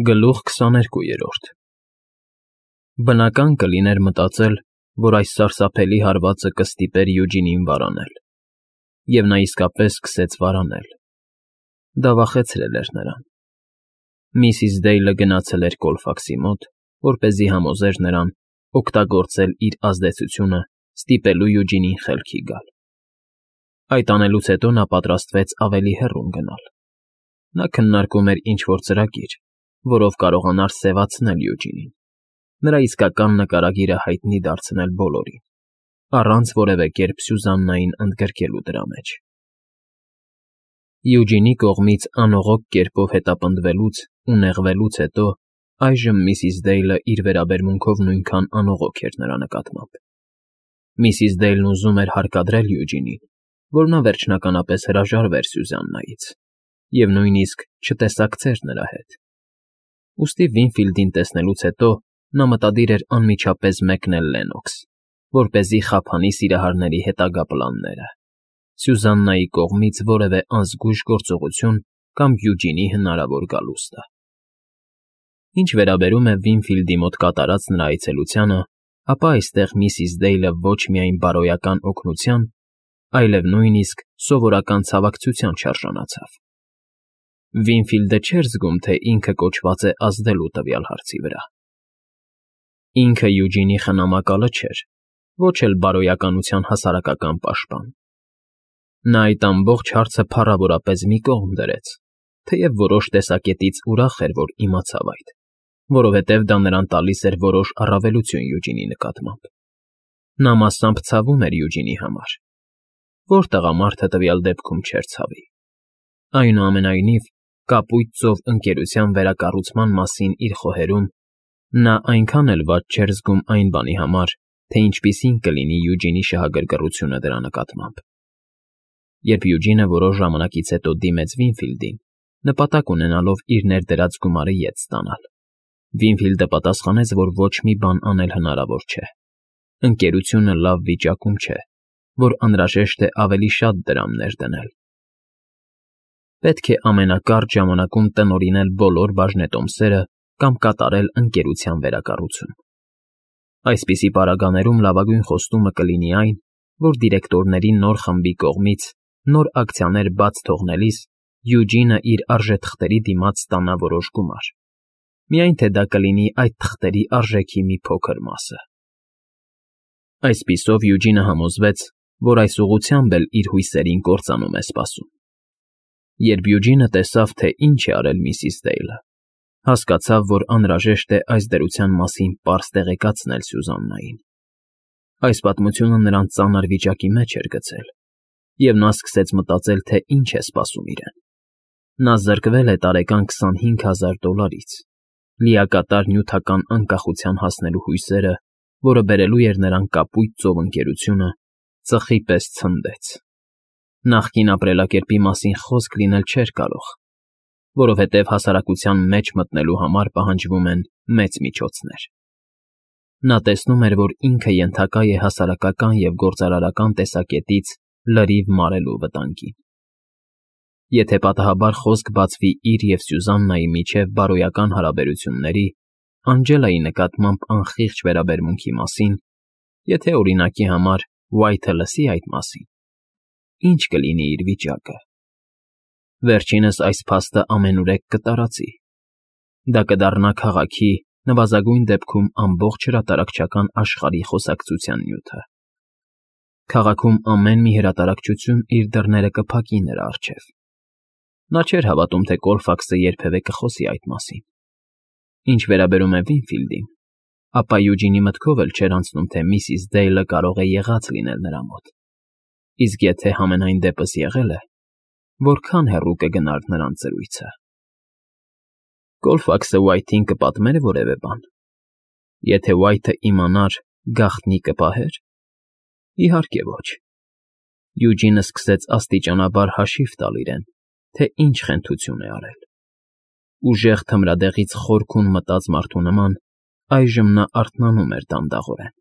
Գլուխ 22 Բնական կլիներ մտածել, որ այս սարսափելի հարվածը կստիպեր Յուջինին վարանել, և նա իսկապես սկսեց վարանել. դա վախեցրել էր նրան։ Միսիս Դեյլը գնացել էր Կոլֆաքսի մոտ, որպեսզի համոզեր նրան օգտագործել իր ազդեցությունը ստիպելու Յուջինին խելքի գալ։ Այդ անելուց հետո նա պատրաստվեց ավելի հեռուն գնալ։ Նա քննարկում էր ինչ֊որ ծրագիր, որով կարողանար սևացնել Յուջինին, նրա իսկական նկարագիրը հայտնի դարձնել բոլորին, առանց որևէ կերպ Սյուզաննային ընդգրկելու դրա մեջ։ Յուջինի կողմից անողոք կերպով հետապնդվելուց ու նեղվելուց հետո այժմ միսիս Դեյլը իր վերաբերմունքով նույնքան անողոք էր նրա նկատմամբ։ Միսիս Դեյլն ուզում էր հարկադրել Յուջինին, որ նա վերջնականապես հրաժարվեր Սյուզաննայից և նույնիսկ չտեսակցեր նրա հետ։ Ուստի Վինֆիլդին տեսնելուց հետո նա մտադիր էր անմիջապես մեկնել Լեննոքս, որպեսզի խափանի սիրահարների հետագա պլանները, Սյուզաննայի կողմից որևէ անզգույշ գործողություն կամ Յուջինի հնարավոր գալուստը։ Ինչ վերաբերում է Վինֆիլդի մոտ կատարած նրա այցելությանը, ապա այստեղ միսիս Դեյլը ոչ միայն բարոյական օգնության, այլև նույնիսկ սովորական ցավակցության չարժանացավ։ Վինֆիլդը չէր զգում, թե ինքը կոչված է ազդելու տվյալ հարցի վրա։ Ինքը Յուջինի խնամակալը չէր, ոչ էլ բարոյականության հասարակական պաշտպան։ Նա այդ ամբողջ հարցը փառավորապես մի կողմ դրեց, թեև որոշ տեսակետից ուրախ էր, որ իմացավ այդ, որովհետև դա նրան տալիս էր որոշ առավելություն Յուջինի նկատմամբ։ Նա մասամբ ցավում էր Յուջինի համար։ Ո՞ր տղամարդը տվյալ դեպքում չէր ցավի։ Այնուամենայնիվ, Կապույտ ծով ընկերության վերակառուցման մասին իր խոհերում նա այնքան էլ վատ չէր զգում այն բանի համար, թե ինչպիսին կլինի Յուջինի շահագրգռությունը դրա նկատմամբ։ Երբ Յուջինը որոշ ժամանակից հետո դիմեց Վինֆիլդին, նպատակ ունենալով իր ներդրած գումարը ետ ստանալ, Վինֆիլդը պատասխանեց, որ ոչ մի բան անել հնարավոր չէ։ Ընկերությունը լավ վիճակում չէ, որ անհրաժեշտ է ավելի շատ դրամներ դնել։ Պետք է ամենակարճ ժամանակում տնօրինել բոլոր բաժնետոմսերը կամ կատարել ընկերության վերակառուցում։ Այսպիսի պարագաներում լավագույն խոստումը կլինի այն, որ դիրեկտորների նոր խմբի կողմից նոր ակցիաներ բաց թողնելիս Յուջինը իր արժեթղթերի դիմաց ստանա որոշ գումար, միայն թե դա կլինի այդ թղթերի արժեքի մի փոքր մասը։ Այսպիսով Յուջինը համոզվեց, որ այս ուղղությամբ էլ իր հույսերին կործանում է սպասում։ Երբ Յուջինը տեսավ, թե ինչ է արել միսիս Դեյլը, հասկացավ, որ անհրաժեշտ է այս դրության մասին պարզ տեղեկացնել Սյուզաննային։ Այս պատմությունը նրան ծանր վիճակի մեջ էր գցել, և նա սկսեց մտածել, թե ինչ է սպասում իրեն։ Նա զրկվել է տարեկան $25,000, լիակատար նյութական անկախության հասնելու հույսերը, որը բերելու էր նրան Կապույտ ծով ընկերությունը, ծխի պես ցնդեց։ Նախկին ապրելակերպի մասին խոսք լինել չէր կարող, որովհետև հասարակության մեջ մտնելու համար պահանջվում են մեծ միջոցներ։ Նա տեսնում էր, որ ինքը ենթակա է հասարակական և գործարարական տեսակետից լրիվ մարելու վտանգին։ Եթե պատահաբար խոսք բացվի իր և Սյուզաննայի միջև բարոյական հարաբերությունների, Անջելայի նկատմամբ անխիղճ վերաբերմունքի մասին, եթե օրինակի համար Ուայթը լսի այդ մասին, ի՞նչ կլինի իր վիճակը։ Վերջինս այս փաստը ամենուրեք կտարածի։ Դա կդառնա քաղաքի, նվազագույն դեպքում ամբողջ հրատարակչական աշխարհի խոսակցության նյութը։ Քաղաքում ամեն մի հրատարակչություն իր դռները կփակի նրա առջև։ Նա չէր հավատում, թե Կոլֆաքսը երբևէ կխոսի այդ մասին։ Ինչ վերաբերում է Վինֆիլդին, ապա Յուջինի մտքով էլ չէր անցնում, թե միսիս Դեյլը կարող է եղած լինել նրա մոտ։ Իսկ եթե համենայն դեպս եղել է, որքան հեռու կգնար նրանց զրույցը։ Կոլֆաքսը Ուայթին կպատմեր որևէ բան։ Եթե Ուայթը իմանար, գաղտնի կպահե՞ր։ Իհարկե ոչ։ Յուջինը սկսեց աստիճանաբար հաշիվ տալ իրեն, թե ինչ խենթություն է արել։ Ուժեղ թմրադեղից խորքուն մտած մարդու նման այժմ նա արթնանում էր դանդաղորեն,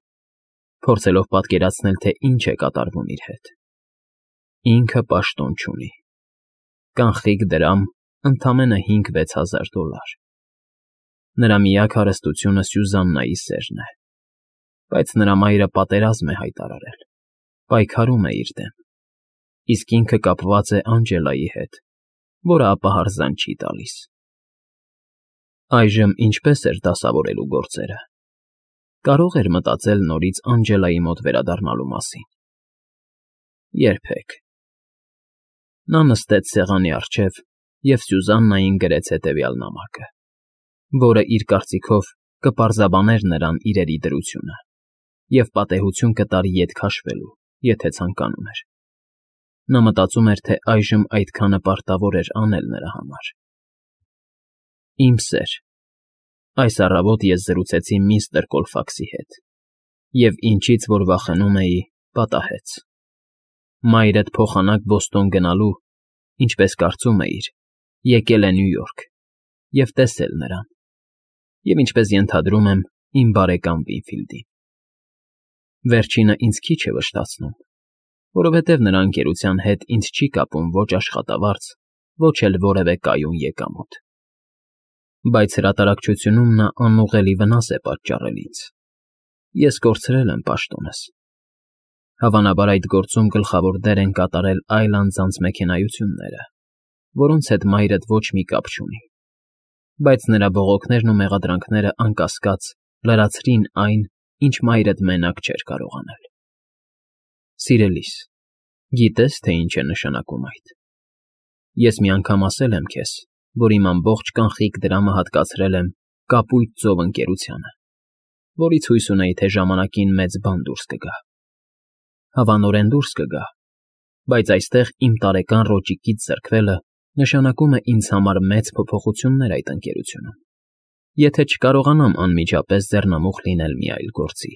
փորձելով պատկերացնել, թե ինչ է կատարվում իր հետ։ Ինքը պաշտոն չունի։ Կանխիկ դրամ, ընդամենը $5,000-6,000։ Նրա միակ հարստությունը Սյուզաննայի սերն է, բայց նրա մայրը պատերազմ է հայտարարել, պայքարում է իր դեմ, իսկ ինքը կապված է Անջելայի հետ, որը ապահարզան չի տալիս։ Այժմ ինչպես էր դասավորելու գործերը։ Կարող էր մտածել նորից Անջելայի մոտ վերադառնալու մասին։ Երբեք։ Նա նստեց սեղանի առջև և Սյուզաննային գրեց հետևյալ նամակը, որը իր կարծիքով կպարզաբաներ նրան իրերի դրությունը և պատեհություն կտար ետ քաշվելու, եթե ցանկանում էր։ Նա մտածում էր, թե այժմ այդքանը պարտավոր էր անել նրա համար։ Իմ սեր, այս առավոտ ես զրուցեցի միստր Կոլֆաքսի հետ, և ինչից որ վախենում էի, պատահեց։ Մայրդ փոխանակ Բոստոն գնալու, ինչպես կարծում էիր, եկել է Նյու Յորք և տեսել նրան, և ինչպես ենթադրում եմ, իմ բարեկամ Վինֆիլդին։ Վերջինը ինձ քիչ է վշտացնում, որովհետև նրա ընկերության հետ ինձ չի կապում ոչ աշխատավարձ, ոչ էլ որևէ կայուն եկամուտ։ Բայց հրատարակչությունում նա անուղղելի վնաս է պատճառել ինձ։ Ես կորցրել եմ պաշտոնս։ Հավանաբար այդ գործում գլխավոր դեր են կատարել այլ անձանց մեքենայությունները, որոնց հետ մայրդ ոչ մի կապ չունի, բայց նրա բողոքներն ու մեղադրանքները անկասկած լրացրին այն, ինչ մայրդ մենակ չէր կարող անել։ Սիրելիս, գիտե՞ս, թե ինչ է նշանակում այդ։ Ես մի անգամ ասել եմ քեզ, որ իմ ամբողջ կանխիկ դրամը հատկացրել եմ Կապույտ ծով ընկերությանը, որից հույս ունեի, թե ժամանակին մեծ բան դուրս կգա։ Հավանորեն դուրս կգա, բայց այստեղ իմ տարեկան ռոճիկից զրկվելը նշանակում է ինձ համար մեծ փոփոխություններ այդ ընկերությունում, եթե չկարողանամ անմիջապես ձեռնամուխ լինել մի այլ գործի։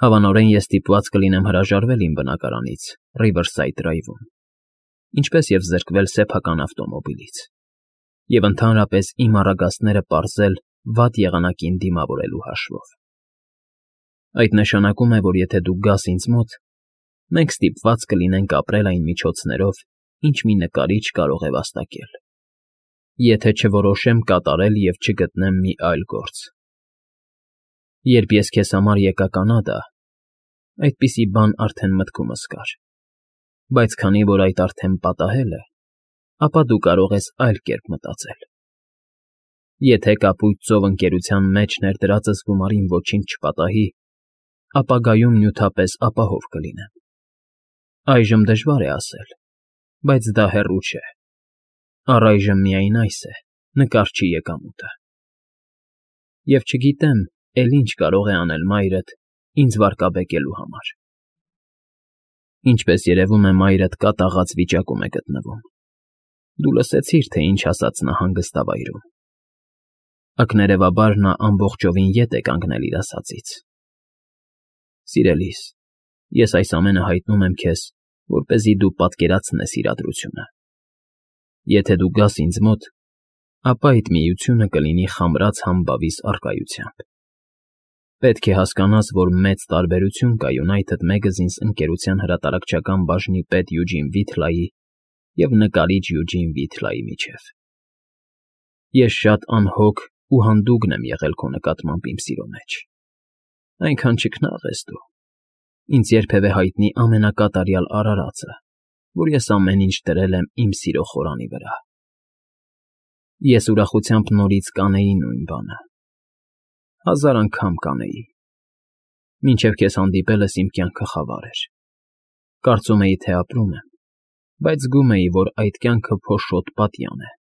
Հավանորեն ես ստիպված կլինեմ հրաժարվել իմ բնակարանից Ռիվերսայդ Դրայվում, ինչպես և զրկվել սեփական ավտոմոբիլից, և ընդհանրապես իմ առագաստները պարզել վատ եղանակին դիմավորելու հաշվով։ Այդ նշանակում է, որ եթե դու գաս ինձ մոտ, մենք ստիպված կլինենք ապրել այն միջոցներով, ինչ մի նկարիչ կարող է վաստակել, եթե չորոշեմ կատարել և չգտնեմ մի այլ գործ։ Երբ ես քեզ համար եկա Կանադա, այդպիսի բան արդեն մտքումս կար, բայց քանի որ այդ արդեն պատահել է, ապա դու կարող ես այլ կերպ մտածել։ Եթե Կապույտ ծով ընկերության մեջ ներդրածս գումարին ոչինչ չպատահի, ապագայում նյութապես ապահով կլինեմ։ Այժմ դժվար է ասել, բայց դա հեռու չէ։ Առայժմ միայն այս է, նկարչի եկամուտը։ Եվ չգիտեմ, էլ ինչ կարող է անել մայրդ ինձ վարկաբեկելու համար։ Ինչպես երևում է, մայրդ կատաղած վիճակում է գտնվում։ Դու լսեցիր, թե ինչ ասաց նա հանգստավայրում։ Ակներևաբար նա ամբողջովին ետ է կանգնել իր ասածից։ Սիրելիս, ես այս ամենը հայտնում եմ քեզ, որպեսզի դու պատկերացնես իրադրությունը։ Եթե դու գաս ինձ մոտ, ապա այդ միությունը կլինի խամրած համբավիս առկայությամբ։ Պետք է հասկանաս, որ մեծ տարբերություն կա United Magazines ընկերության հրատարակչական բաժնի պետ Յուջին Վիթլայի և նկարիչ Յուջին Վիթլայի միջև։ Ես շատ անհոգ ու հանդուգն եմ եղել քո նկատմամբ իմ սիրո մեջ։ Այնքան չքնաղ ես դու, ինձ երբևէ հայտնի ամենակատարյալ արարածը, որ ես ամեն ինչ դրել եմ իմ սիրո խորանի վրա։ Ես ուրախությամբ նորից կանեի նույն բանը, 1000 անգամ կանեի։ Մինչև քեզ հանդիպելս իմ կյանքը խավար էր։ Կարծում էի, թե ապրում եմ, բայց զգում էի, որ այդ կյանքը փոշոտ պատյան է,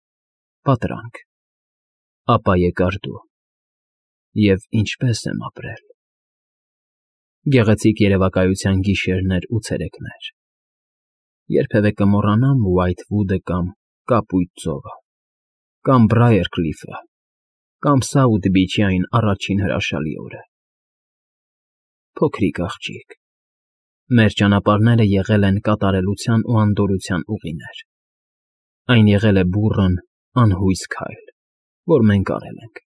պատրանք։ Ապա եկար դու, և ինչպես եմ ապրել։ Գեղեցիկ երևակայության գիշերներ ու ցերեկներ։ Երբևէ կմոռանամ Ուայթվուդը կամ Կապույտ ծովը, կամ Բրայերկլիֆը, կամ Սաութ Բիչի այն առաջին հրաշալի օրը։ Փոքրիկ աղջիկ, մեր ճանապարհները եղել են կատարելության ու անդորրության ուղիներ։ Այն եղել է բուռն, անհույս քայլ, որ մենք արել ենք,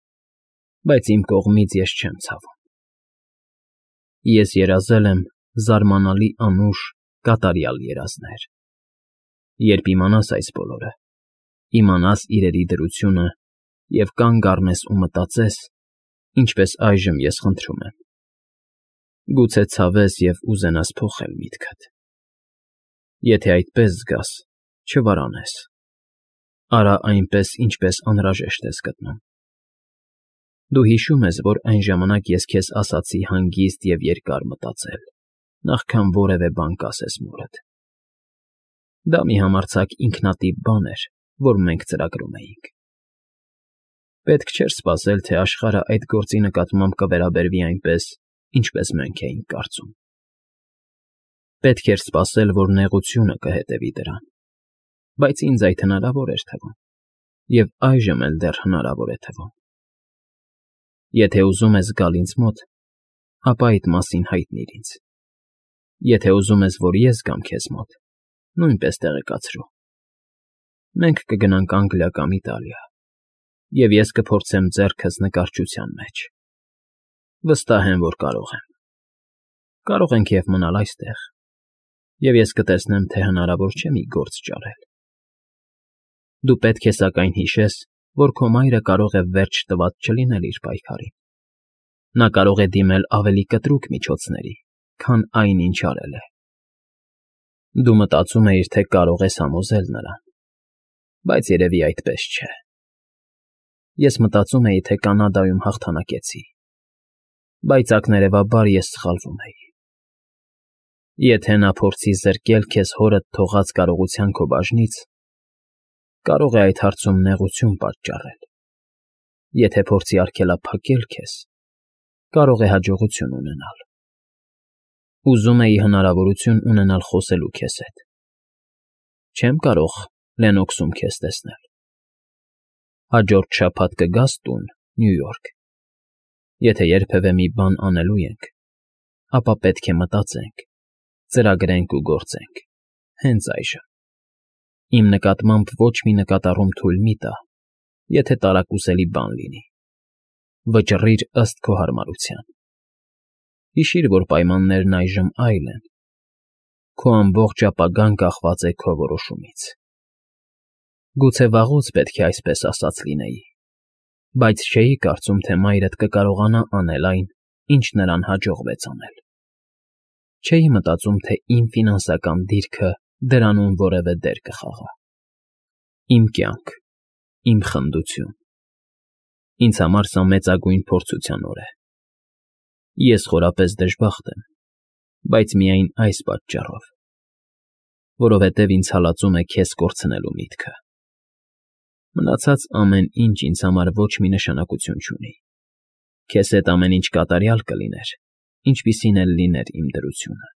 բայց իմ կողմից ես չեմ ցավում։ Ես երազել եմ զարմանալի անուշ, կատարյալ երազներ։ Երբ իմանաս այս բոլորը, իմանաս իրերի դրությունը և կանգ առնես ու մտածես, ինչպես այժմ ես խնդրում եմ. գուցե ցավես և ուզենաս փոխել միտքդ. եթե այդպես զգաս, չվարանես, արա այնպես, ինչպես անհրաժեշտ ես գտնում։ Դու հիշում ես, որ այն ժամանակ ես քեզ ասացի հանգիստ և երկար մտածել, նախքան որևէ բան կասես մորդ։ Դա մի համարձակ ինքնատիպ բան էր, որ մենք ծրագրում էինք։ Պետք չէր սպասել, թե աշխարհը այդ գործի նկատմամբ կվերաբերվի այնպես, ինչպես մենք էինք կարծում։ Պետք էր սպասել, որ նեղությունը կհետևի դրան, բայց ինձ այդ հնարավոր էր թվում, և այժմ էլ դեռ հնարավոր է թվում։ Եթե ուզում ես գալ ինձ մոտ, ապա այդ մասին հայտնիր ինձ։ Եթե ուզում ես, որ ես գամ քեզ մոտ, նույնպես տեղեկացրու։ Մենք կգնանք Անգլիա կամ Իտալիա, և ես կփորձեմ ձեռքս նկարչության մեջ։ Վստահ եմ, որ կարող եմ։ Կարող ենք և մնալ այստեղ, և ես կտեսնեմ, թե հնարավոր չէ մի գործ ճարել։ Դու պետք է սակայն հիշես, որ քո մայրը կարող է վերջ տված չլինել իր պայքարին։ Նա կարող է դիմել ավելի կտրուկ միջոցների, քան այն, ինչ արել է։ Դու մտածում էիր, թե կարող ես համոզել նրան, բայց երևի այդպես չէ։ Ես մտածում էի, թե Կանադայում հաղթանակեցի, բայց ակներևաբար ես սխալվում էի։ Եթե նա փորձի զրկել քեզ հորդ թողած կարողության քո բաժնից, կարող է այդ հարցում նեղություն պատճառել։ Եթե փորձի արգելափակել քեզ, կարող է հաջողություն ունենալ։ Ուզում էի հնարավորություն ունենալ խոսելու քեզ հետ։ Չեմ կարող Լենոքսում քեզ տեսնել։ Հաջորդ շաբաթ կգաս տուն, Նյու Յորք։ Եթե երբևէ մի բան անելու ենք, ապա պետք է մտածենք, ծրագրենք ու գործենք, հենց այժմ։ Իմ նկատմամբ ոչ մի նկատառում թույլ մի տա, եթե տարակուսելի բան լինի։ Վճռիր ըստ քո հարմարության։ Հիշիր, որ պայմաններն այժմ այլ են։ Քո ամբողջ ապագան կախված է քո որոշումից։ Գուցե վաղուց պետք է այսպես ասած լինեի, բայց չէի կարծում, թե մայրդ կկարողանա անել այն, ինչ նրան հաջողվեց անել։ Չէի մտածում, թե իմ ֆինանսական դիրքը դրանում որևէ դեր կխաղա։ Իմ կյանք, իմ խնդություն։ Ինձ համար սա մեծագույն փորձության օր է։ Ես խորապես դժբախտ եմ, բայց միայն այս պատճառով, որովհետև ինձ հալածում է քեզ կորցնելու միտքը։ Մնացած ամեն ինչ ինձ համար ոչ մի նշանակություն չունի։ Քեզ հետ ամեն ինչ կատարյալ կլիներ, ինչպիսին էլ լիներ իմ դրությունը։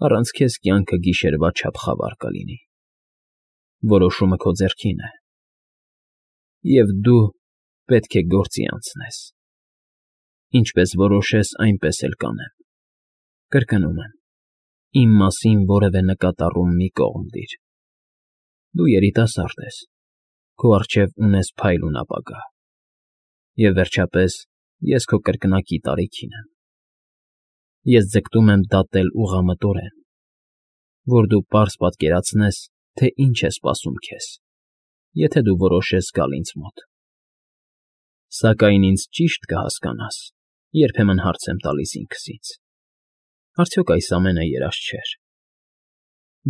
Առանց քեզ կյանքը գիշերվա չափ խավար կլինի։ Որոշումը քո ձեռքին է։ Եվ դու պետք է գործի անցնես։ Ինչպես որոշես, այնպես էլ կանեմ։ Կրկնում եմ, իմ մասին որևէ նկատառում մի կողմ դիր։ Դու երիտասարդ ես, քո առջև ունես փայլուն ապագա։ Եվ վերջապես, ես քո կրկնակի տարիքին եմ։ Ես ձգտում եմ դատել ուղղամտորեն, որ դու պարզ պատկերացնես, թե ինչ է սպասում քեզ, եթե դու որոշես գալ ինձ մոտ։ Սակայն ինձ ճիշտ կհասկանաս, երբեմն հարց եմ տալիս ինքսից. արդյոք այս ամենը երազ չէր։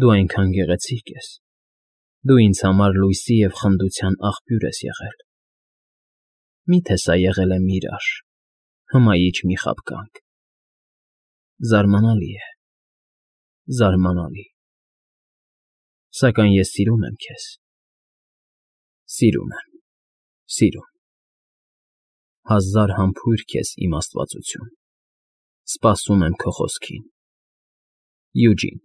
Դու այնքան գեղեցիկ ես։ Դու ինձ համար լույսի և խնդության աղբյուր ես եղել։ Մի՞թե սա եղել է միրաժ, հմայիչ մի խաբկանք։ Զարմանալի է, զարմանալի։ Սակայն ես սիրում եմ քեզ։ Սիրում եմ, սիրում։ Հազար համբույր քեզ, իմ աստվածություն։ Սպասում եմ քո խոսքին։ Յուջին։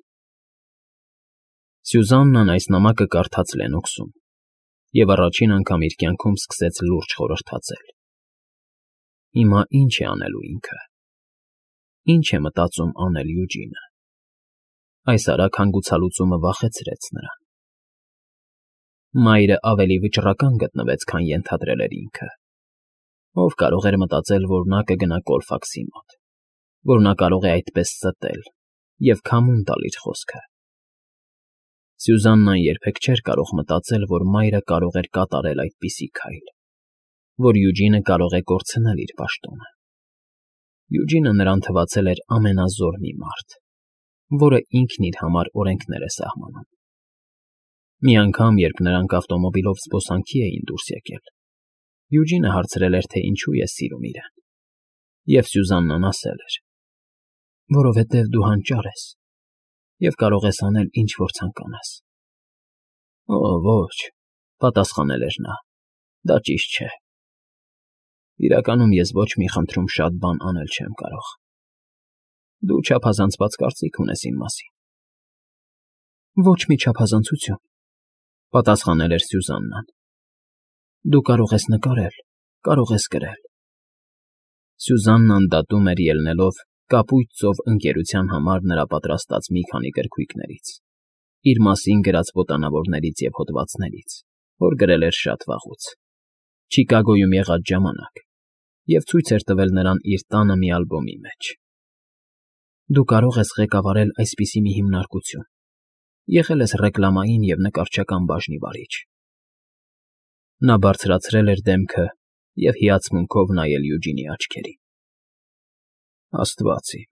Սյուզաննան այս նամակը կարդաց Լենոքսում և առաջին անգամ իր կյանքում սկսեց լուրջ խորհրդածել։ Հիմա ի՞նչ է անելու ինքը։ Ինչ է մտածում անել Յուջինը։ Այս արագ հանգուցալուծումը վախեցրեց նրան։ Մայրը ավելի վճռական գտնվեց, քան ենթադրել էր ինքը։ Ով կարող էր մտածել, որ նա կգնա Կոլֆաքսի մոտ, որ նա կարող է այդպես ստել և քամուն տալ իր խոսքը։ Սյուզաննան երբեք չէր կարող մտածել, որ մայրը կարող էր կատարել այդպիսի քայլ։ որ Յուջինը կարող է կորցնել իր պաշտոնը։ Յուջինը նրան թվացել էր ամենազոր մի մարդ, որը ինքն իր համար օրենքներ է սահմանում։ Մի անգամ, երբ նրանք ավտոմոբիլով զբոսանքի էին դուրս եկել, Յուջինը հարցրել էր, թե ինչու է սիրում իրեն, և Սյուզաննան ասել էր. որովհետև դու հանճար ես և կարող ես անել, ինչ որ ցանկանաս։ Օ, ոչ, պատասխանել էր նա, դա ճիշտ չէ։ Իրականում ես ոչ մի խնդրում շատ բան անել չեմ կարող։ Դու չափազանցված կարծիք ունես իմ մասին։ Ոչ մի չափազանցություն, պատասխանել էր Սյուզաննան։ Դու կարող ես նկարել, կարող ես գրել։ Սյուզաննան դատում էր ելնելով կապույտ ծով ընկերության համար նրա պատրաստած մի քանի գրքույկներից, իր մասին գրած ոտանավորներից և հոդվածներից, որ գրել էր շատ վաղուց, Չիկագոյում եղած ժամանակ, և ցույց էր տվել նրան իր տանը մի ալբոմի մեջ։ Դու կարող ես ղեկավարել այսպիսի մի հիմնարկություն, եղել ես ռեկլամային և նկարչական բաժնի վարիչ։ Նա բարձրացրել էր դեմքը և հիացմունքով նայել Յուջինի աչքերին։ Աստված իմ,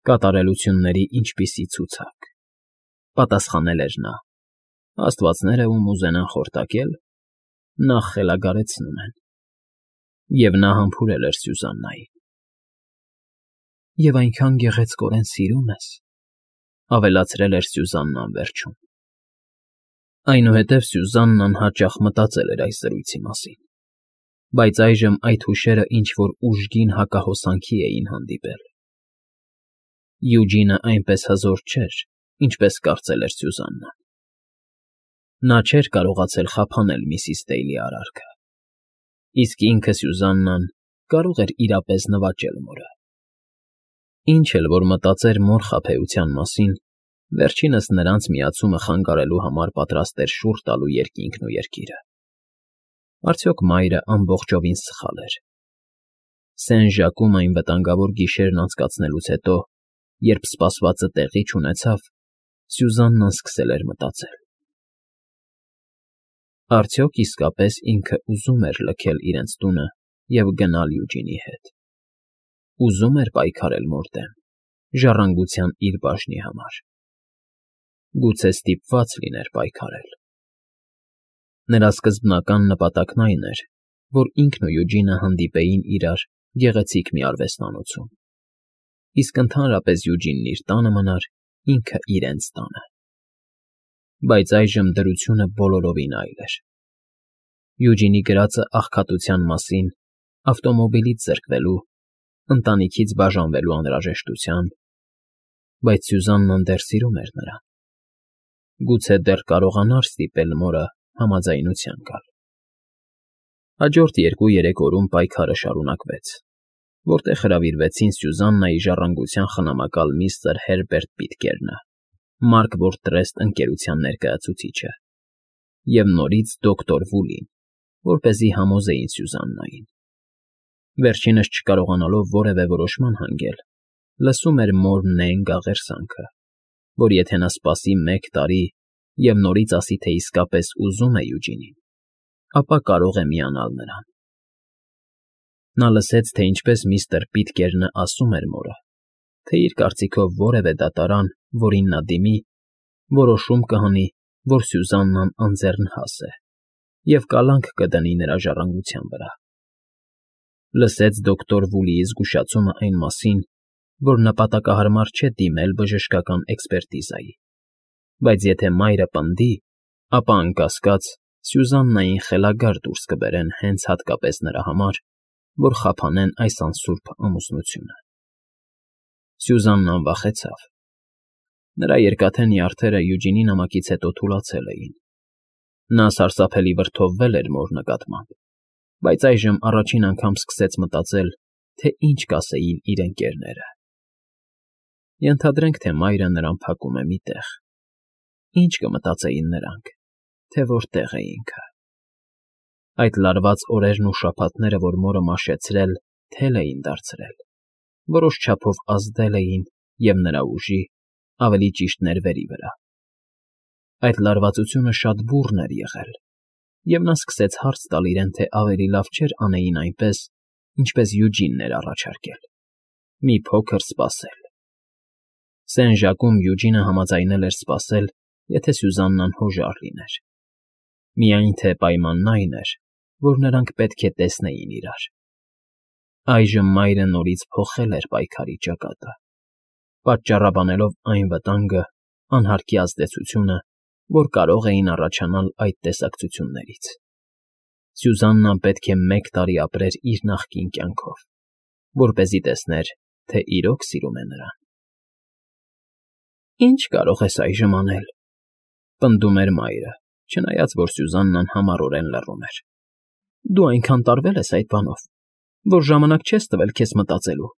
կատարելությունների ինչպիսի ցուցակ, պատասխանել էր նա, աստվածները, ում ուզենան խորտակել, նախ խելագարեցնում են։ Եվ նա համբուրել էր Սյուզաննային։ Եվ այնքան գեղեցկորեն սիրում ես, ավելացրել էր Սյուզաննան վերջում։ Այնուհետև Սյուզաննան հաճախ մտածել էր այս զրույցի մասին, բայց այժմ այդ հուշերը ինչ-որ ուժգին հակահոսանքի էին հանդիպել։ Յուջինը այնպես հզոր չէր, ինչպես կարծել էր Սյուզաննան։ Նա չէր կարողացել խափանել միսիս Դեյլի արարքը, իսկ ինքը Սյուզաննան կարող էր իրապես նվաճել մորը։ Ինչ էլ որ մտածեր մոր խաբեության մասին, վերջինս նրանց միացումը խանգարելու համար պատրաստ էր շուռ տալու երկինքն ու երկիրը։ Արդյոք մայրը ամբողջովին սխալ էր։ Սեն֊Ժակում այն վտանգավոր գիշերն անցկացնելուց հետո, երբ սպասվածը տեղի չունեցավ, Սյուզաննան սկսել էր մտածել. արդյոք իսկապես ինքը ուզում էր լքել իրենց տունը և գնալ Յուջինի հետ։ Ուզում էր պայքարել մոր դեմ, ժառանգության իր բաժնի համար։ Գուցե ստիպված լիներ պայքարել։ Նրա սկզբնական նպատակն այն էր, որ ինքն ու Յուջինը հանդիպեին իրար գեղեցիկ մի արվեստանոցում, իսկ ընդհանրապես Յուջինն իր տանը մնար, ինքը իրենց տանը։ Բայց այժմ դրությունը բոլորովին այլ էր։ Յուջինի գրածը աղքատության մասին, ավտոմոբիլից զրկվելու, ընտանիքից բաժանվելու անհրաժեշտությամբ, բայց Սյուզաննան դեռ սիրում էր նրան։ Գուցե դեռ կարողանար ստիպել մորը համաձայնության գալ։ Հաջորդ 2-3 օրում պայքարը շարունակվեց, որտեղ հրավիրվեցին Սյուզաննայի ժառանգության խնամակալ միստր Հերբերտ Պիտկերնը, Մարքվորթ Տրեստ ընկերության ներկայացուցիչը, և նորից դոկտոր Վուլին, որպեսզի համոզեին Սյուզաննային։ Վերջինս չկարողանալով որևէ որոշման հանգել, լսում էր մոր նենգ աղերսանքը, որ եթե նա սպասի 1 տարի և նորից ասի, թե իսկապես ուզում է Յուջինին, ապա կարող է միանալ նրան։ Նա լսեց, թե ինչպես միստր Պիտկերնը ասում էր մորը, թե իր կարծիքով որևէ դատարան, որին նա դիմի, որոշում կհանի, որ Սյուզաննան անձեռնհաս է և կալանք կդնի նրա ժառանգության վրա։ Լսեց դոկտոր Վուլիի զգուշացումը այն մասին, որ նպատակահարմար չէ դիմել բժշկական էքսպերտիզայի, բայց եթե մայրը պնդի, ապա անկասկած Սյուզաննային խելագար դուրս կբերեն հենց հատկապես նրա համար, որ խափանեն այս անսուրբ ամուսնությունը։ Սյուզաննան վախեցավ։ Նրա երկաթե նյարդերը Յուջինի նամակից հետո թուլացել էին։ Նա սարսափելի վրդովվել էր մոր նկատմամբ, բայց այժմ առաջին անգամ սկսեց մտածել, թե ինչ կասեին իր ընկերները։ Ենթադրենք, թե մայրը նրան փակում է մի տեղ։ Ինչ կմտածեին նրանք, թե որտեղ է ինքը։ Այդ լարված օրերն ու շաբաթները, որ մորը մաշեցրել, թել էին դարձրել, որոշ չափով ազդել էին և նրա ուժի, ավելի ճիշտ ներվերի վրա։ Այդ լարվածությունը շատ բուռն էր եղել, և նա սկսեց հարց տալ իրեն, թե ավելի լավ չէր անեին այնպես, ինչպես Յուջինն էր առաջարկել. մի փոքր սպասել։ Սեն֊Ժակում Յուջինը համաձայնել էր սպասել, եթե Սյուզաննան հոժար լիներ։ Միայն թե պայմանն այն էր, որ նրանք պետք է տեսնեին իրար։ Այժմ մայրը նորից փոխել էր պայքարի ճակատը, պատճառաբանելով այն վտանգը, անհարկի ազդեցությունը, որ կարող էին առաջանալ այդ տեսակցություններից։ Սյուզաննան պետք է 1 տարի ապրեր իր նախկին կյանքով, որպեսզի տեսներ, թե իրոք սիրում է նրան։ «Ինչ կարող ես այժմ անել,֊ պնդում էր մայրը, չնայած որ Սյուզաննան համառորեն լռում էր։ Դու այնքան տարվել ես այդ բանով, որ ժամանակ չես տվել քեզ մտածելու։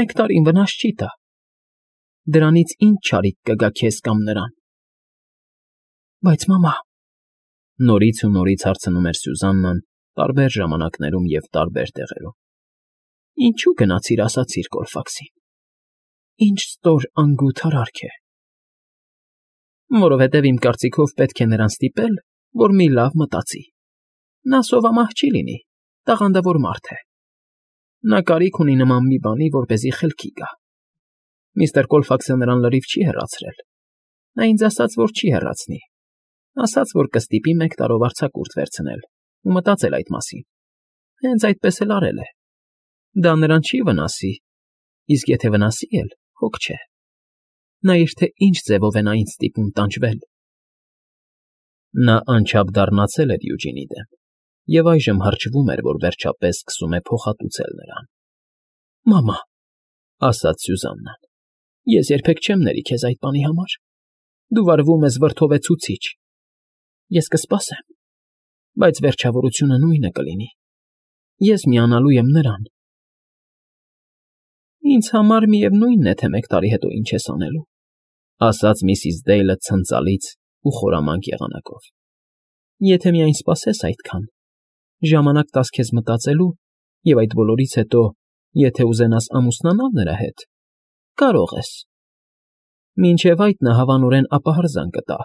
1 տարին վնաս չի տա։ Դրանից ինչ չարիք կգա քեզ կամ նրան»։ Բայց մամա…֊ նորից ու նորից հարցնում էր Սյուզաննան տարբեր ժամանակներում և տարբեր տեղերում։ Ինչու գնացիր ասացիր Կոլֆաքսին։ Ինչ ստոր անգութ արարք է։ Որովհետև իմ կարծիքով պետք է նրան ստիպել, որ մի լավ մտածի։ Նա սովամահ չի լինի, տաղանդավոր մարդ է։ Նա կարիք ունի նման մի բանի, որպեսզի խելքի գա։ Միստր Կոլֆաքսը նրան լրիվ չի հեռացրել։ Նա ինձ ասաց, որ չի հեռացնի։ Ասաց, որ կստիպի 1 տարով արձակուրդ վերցնել ու մտածել այդ մասին։ Հենց այդպես էլ արել է։ Դա նրան չի վնասի, իսկ եթե վնասի էլ, հոգ չէ։ Նա իր թե ինչ ձևով է նա ինձ ստիպում տանջվել։ Նա անչափ դառնացել էր Յուջինի դեմ և այժմ հրճվում էր, որ վերջապես սկսում է փոխհատուցել նրան։ Մամա…֊ ասաց Սյուզաննան…֊ Ես երբեք չեմ ների քեզ այդ բանի համար։ Դու վարվում ես վրդովեցուցիչ։ Ես կսպասեմ, բայց վերջավորությունը նույնը կլինի։ Ես միանալու եմ նրան։ Ինձ համար միևնույնն է, թե 1 տարի հետո ինչ ես անելու,֊ ասաց միսիս Դեյլը ցնծալից ու խորամանկ եղանակով։ Եթե միայն սպասես այդքան, ժամանակ տաս քեզ մտածելու, և այդ բոլորից հետո, եթե ուզենաս ամուսնանալ նրա հետ, կարող ես։ Մինչև այդ նա հավանորեն ապահարզան կտա,